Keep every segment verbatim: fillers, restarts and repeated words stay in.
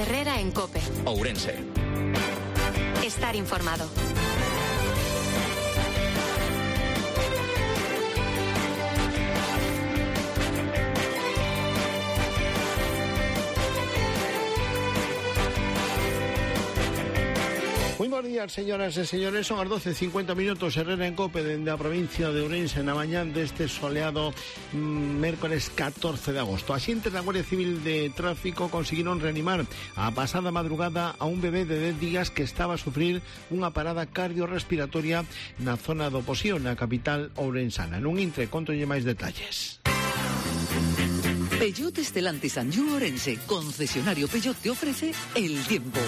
Herrera en COPE. Ourense. Estar informado. Muy buenos días, señoras e señores. Son as doce e cincuenta minutos. Herrera en COPE dende a provincia de Ourense na mañán deste soleado mmm, mércores catorce de agosto. Axentes da Guardia Civil de Tráfico conseguiron reanimar a pasada madrugada a un bebé de dez días que estaba a sufrir unha parada cardiorrespiratoria na zona do Posío, na capital ourensana. Nun intre, contolle máis detalles. Peugeot Stellantis Anjou Ourense, concesionario Peugeot, te ofrece el tiempo.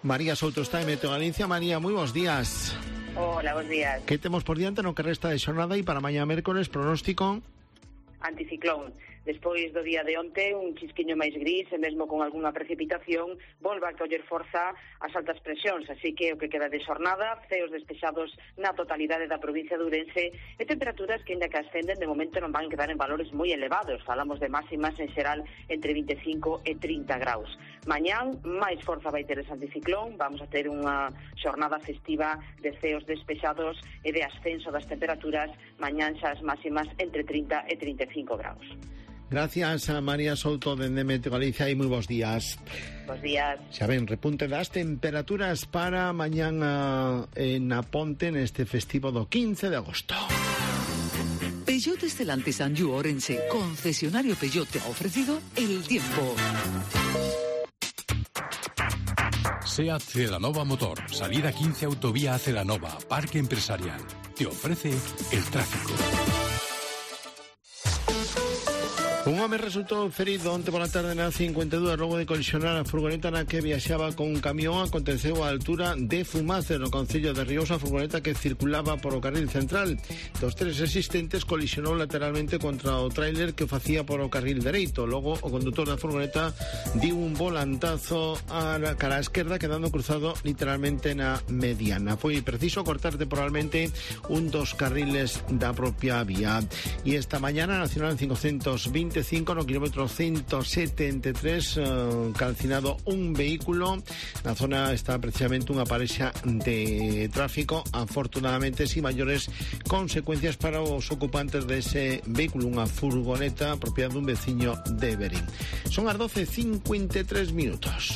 María Souto está en Meteo Galicia. María, moi bons días. Hola, bons días. Que temos por diante no que resta de xornada e para mañá mércores pronóstico? Anticiclón. Despois do día de onte, un chisquiño máis gris e mesmo con algunha precipitación, volve a coller forza as altas presións, así que o que queda de xornada, ceos despexados na totalidade da provincia de Ourense e temperaturas que, ainda que ascenden, de momento non van quedar en valores moi elevados. Falamos de máximas en xeral entre vinte e cinco e trinta graus. Mañán, máis forza vai ter ese anticiclón, vamos a ter unha xornada festiva de ceos despexados e de ascenso das temperaturas, mañán xa as máximas entre trinta e trinta e cinco graus. Gracias a María Souto dende Meteo Galicia e moi bons días. Bos días. Xa ven, repunte das temperaturas para mañán en a Ponte neste festivo do quince de agosto. Peugeot Stellantis Anjou Ourense, concesionario Peugeot, te ha ofrecido el tiempo. SEAT Celanova Motor, salida quince autovía a Celanova, parque empresarial. Te ofrece el tráfico. Un home resultou ferido onte pola tarde na cincuenta e dúas logo de colisionar a furgoneta na que viaxaba con un camión. Aconteceu a altura de Fumace, no concello de Ríos, a furgoneta que circulaba por o carril central. Dos tres existentes colisionou lateralmente contra o tráiler que o facía por o carril dereito. Logo o condutor da furgoneta diu un volantazo a la cara esquerda, quedando cruzado literalmente na mediana. Foi preciso cortar temporalmente un dos carriles da propia vía. E esta mañana Nacional cincocentos veinticinco no kilómetro ciento setenta e tres eh, calcinado un vehículo. Na zona está precisamente unha parexa de tráfico, afortunadamente sin maiores consecuencias para os ocupantes dese vehículo, unha furgoneta propiedade dun veciño de Berín. Son as doce e cincuenta e tres minutos.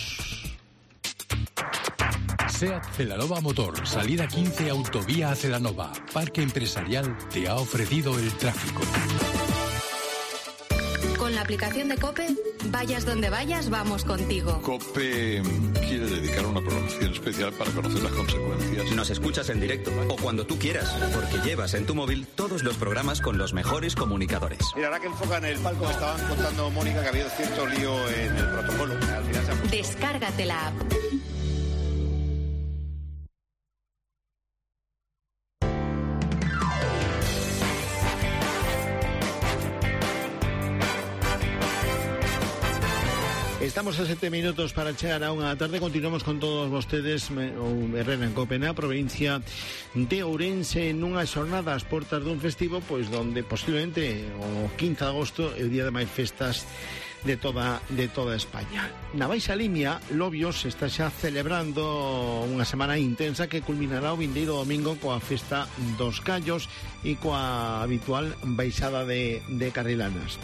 SEAT Celanova Motor, salida quince autovía a Celanova, parque empresarial, te ha ofrecido el tráfico. Con la aplicación de COPE, vayas donde vayas, vamos contigo. COPE quiere dedicar una programación especial para conocer las consecuencias. Nos escuchas en directo o cuando tú quieras, porque llevas en tu móvil todos los programas con los mejores comunicadores. Mira, ahora que enfocan el palco, me estaban contando, Mónica, que ha habido cierto lío en el protocolo. Al final se ha puesto... Descárgate la app. Estamos a sete minutos para chegar a unha tarde. Continuamos con todos vostedes o Herrera en COPE na provincia de Ourense nunha xornada ás portas dun festivo pois donde posiblemente o quince de agosto é o día de máis festas de toda de toda España. Na Baixa Limia, Lobios está xa celebrando unha semana intensa que culminará o vindeiro domingo coa festa dos Callos e coa habitual baixada de, de carrilanas.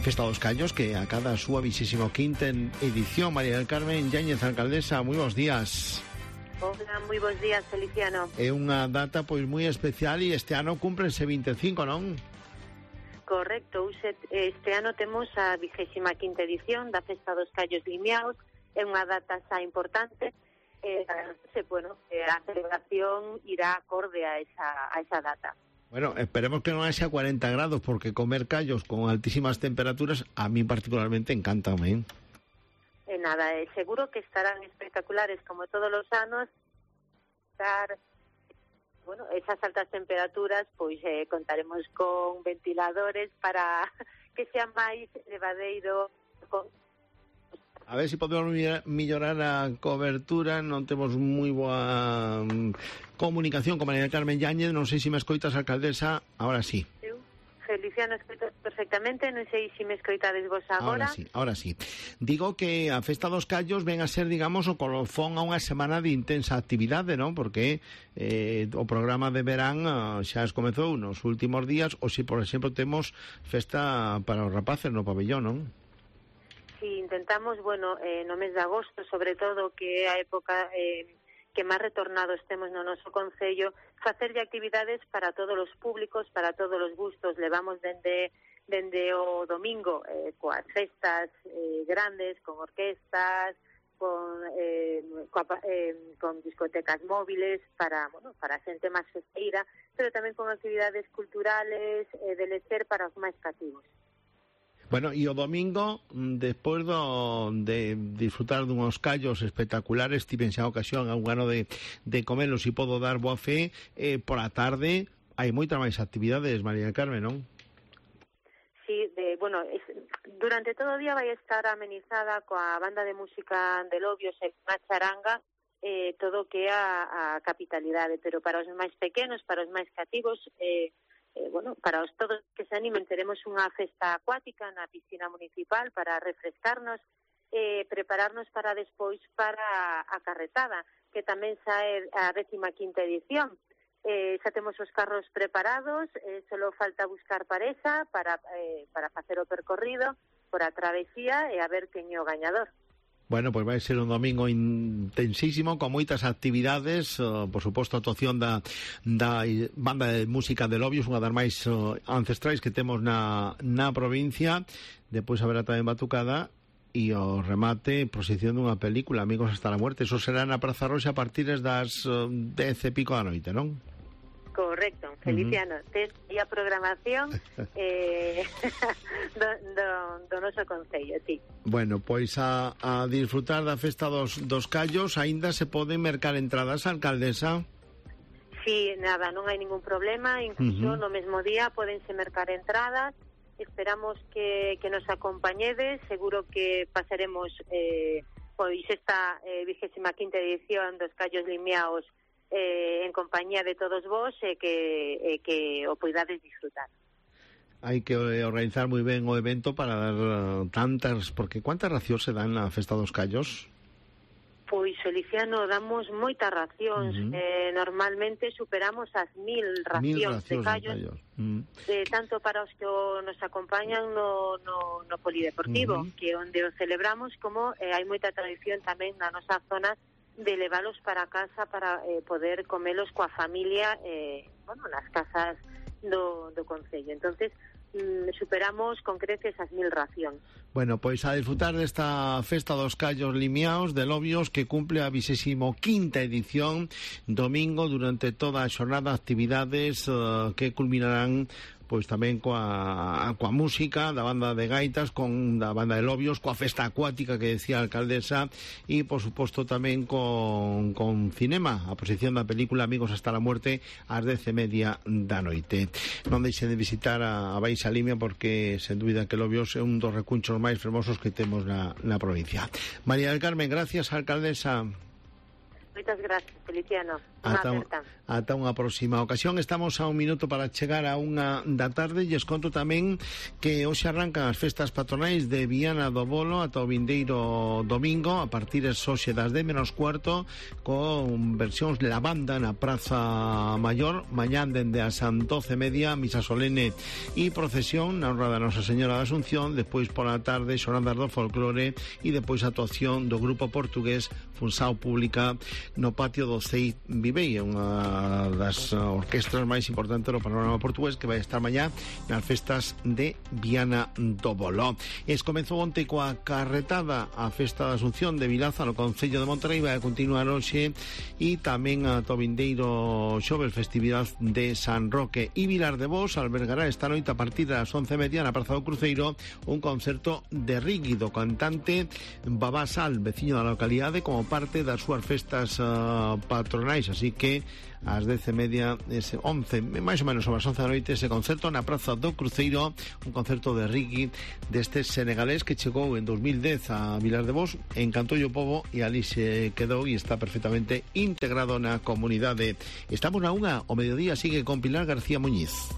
Festa dos Callos que acada a súa vixésimo quinta edición. María del Carmen Yáñez, alcaldesa, moi bons días. Hola, moi bons días, Feliciano. É unha data pois moi especial e este ano cúmprense vinte e cinco, non? Correcto, este ano temos a vigésima quinta edición da Festa dos Callos Limiaos, é unha data xa importante, e, bueno, a celebración irá acorde a esa, a esa data. Bueno, esperemos que non haxa cuarenta grados, porque comer callos con altísimas temperaturas a mí particularmente encanta, ¿eh? E nada, eh, seguro que estarán espectaculares como todos os anos, estar... Bueno, esas altas temperaturas, pois eh, contaremos con ventiladores para que sea máis levadeiro. Con... A ver se si podemos mellorar a cobertura. Non temos moi boa um, comunicación con María Carmen Yáñez. Non sei se me escoitas, alcaldesa. Ahora sí. Eu, Feliciano, escoito perfectamente, non sei se me escoitades vos agora. Ahora sí, ahora sí. Digo que a Festa dos Callos ven a ser, digamos, o colofón a unha semana de intensa actividade, non? Porque eh, o programa de verán uh, xa es comezou nos últimos días, ou se, por exemplo, temos festa para os rapaces no pabellón, non? Sí, intentamos, bueno, eh, no mes de agosto, sobre todo, que é a época eh, que máis retornados temos no noso concello, facerlle actividades para todos os públicos, para todos os gustos. Levamos dende, dende o domingo eh, coas festas eh, grandes, con orquestas, con, eh, coa, eh, con discotecas móviles para, bueno, para a xente máis festeira, pero tamén con actividades culturales eh, de lecer para os máis cativos. Bueno, e o domingo, despois do, de disfrutar dunhos callos espectaculares, tiven xa ocasión a un ano de, de comelos e podo dar boa fe, eh, por a tarde hai moitas máis actividades, María del Carmen, non? Sí, de, bueno, es, durante todo o día vai estar amenizada coa banda de música de Lobios e unha charanga, eh, todo o que é a, a capitalidade, pero para os máis pequenos, para os máis cativos, eh, Eh, bueno, para os todos que se animen, teremos unha festa acuática na piscina municipal para refrescarnos, eh, prepararnos para despois para a carretada, que tamén sae a décima quinta edición. Eh, xa temos os carros preparados, eh, solo falta buscar pareja para, eh, para facer o percorrido por a travesía e a ver quen é o gañador. Bueno, pois vai ser un domingo intensísimo, con moitas actividades, uh, por suposto, a actuación da, da banda de música de Lobios, unha das máis uh, ancestrais que temos na, na provincia. Depois haberá tamén batucada e o remate, proxección dunha película, Amigos hasta la muerte. Eso será na Praza Roxa a partir das uh, dez e pico da noite, non? Correcto, Feliciano, uh-huh. Tes a programación eh, do, do, do noso concello, sí. Bueno, pois a, a disfrutar da festa dos, dos callos, aínda se poden mercar entradas, alcaldesa? Sí, nada, non hai ningún problema, incluso uh-huh. no mesmo día podense mercar entradas. Esperamos que, que nos acompañedes, seguro que pasaremos eh, pois esta eh, vigésima quinta edición dos Callos Limiaos Eh, en compañía de todos vos e eh, que, eh, que o poidades disfrutar. Hai que organizar moi ben o evento para dar uh, tantas, porque cuántas racións se dan na Festa dos Callos? Pois, Feliciano, damos moitas racións, uh-huh. eh, normalmente superamos as mil racións, mil racións de callos, de callos. Uh-huh. eh, tanto para os que o, nos acompañan no, no, no polideportivo, uh-huh. que onde o celebramos, como eh, hai moita tradición tamén na nosa zona de levalos para casa para eh, poder comelos coa familia eh, bueno, nas casas do, do concello. Entonces mm, superamos con creces as mil racións. Bueno, pois a disfrutar desta Festa dos Callos Limiaos de Lobios, que cumple a vigésimo quinta edición, domingo, durante toda a xornada, actividades uh, que culminarán pois tamén coa, coa música da banda de gaitas, con da banda de Lobios, coa festa acuática que decía a alcaldesa, e por suposto tamén con, con cinema, a posición da película Amigos hasta la muerte ás dez e media da noite. Non deixen de visitar a, a Baixa Limia, porque sen dúbida que Lobios é un dos recunchos máis fermosos que temos na, na provincia. María del Carmen, gracias, alcaldesa. Moitas gracias, Feliciano. Ata, ata unha próxima ocasión. Estamos a un minuto para chegar a unha da tarde, e os conto tamén que hoxe arrancan as festas patronais de Viana do Bolo ata o vindeiro domingo, a partir de hoxe das dez menos cuarto, con versións de la banda na Praza Maior. Mañán dende as doce e media, misa solene e procesión na honra da Nosa Señora da Asunción. Despois pola tarde, xornadas do folclore, e depois a actuación do grupo portugués Funsao Pública no patio do C I Vivei, unha das orquestras máis importantes do panorama portugués, que vai estar mañá nas festas de Viana do Bolo. Es comezou onte coa carretada a festa da Asunción de Vilaza no concello de Monterrey, vai a continuar hoxe, e tamén a to vindeiro xoves, festividade de San Roque. E Vilar de Bos albergará esta noite a partir das once e media na Praza do Cruceiro un concerto de Rigui, do cantante Babá Sal, veciño da localidade, como parte das súas festas uh, patronais, así que ás dez e media, ese once, máis ou menos sobre as once da noite, ese concerto na Praza do Cruceiro, un concerto de Rigui deste senegalés que chegou en dos mil dez a Vilar de Bos, encantou o pobo e ali se quedou e está perfectamente integrado na comunidade. Estamos na unha, o mediodía sigue con Pilar García Muñiz.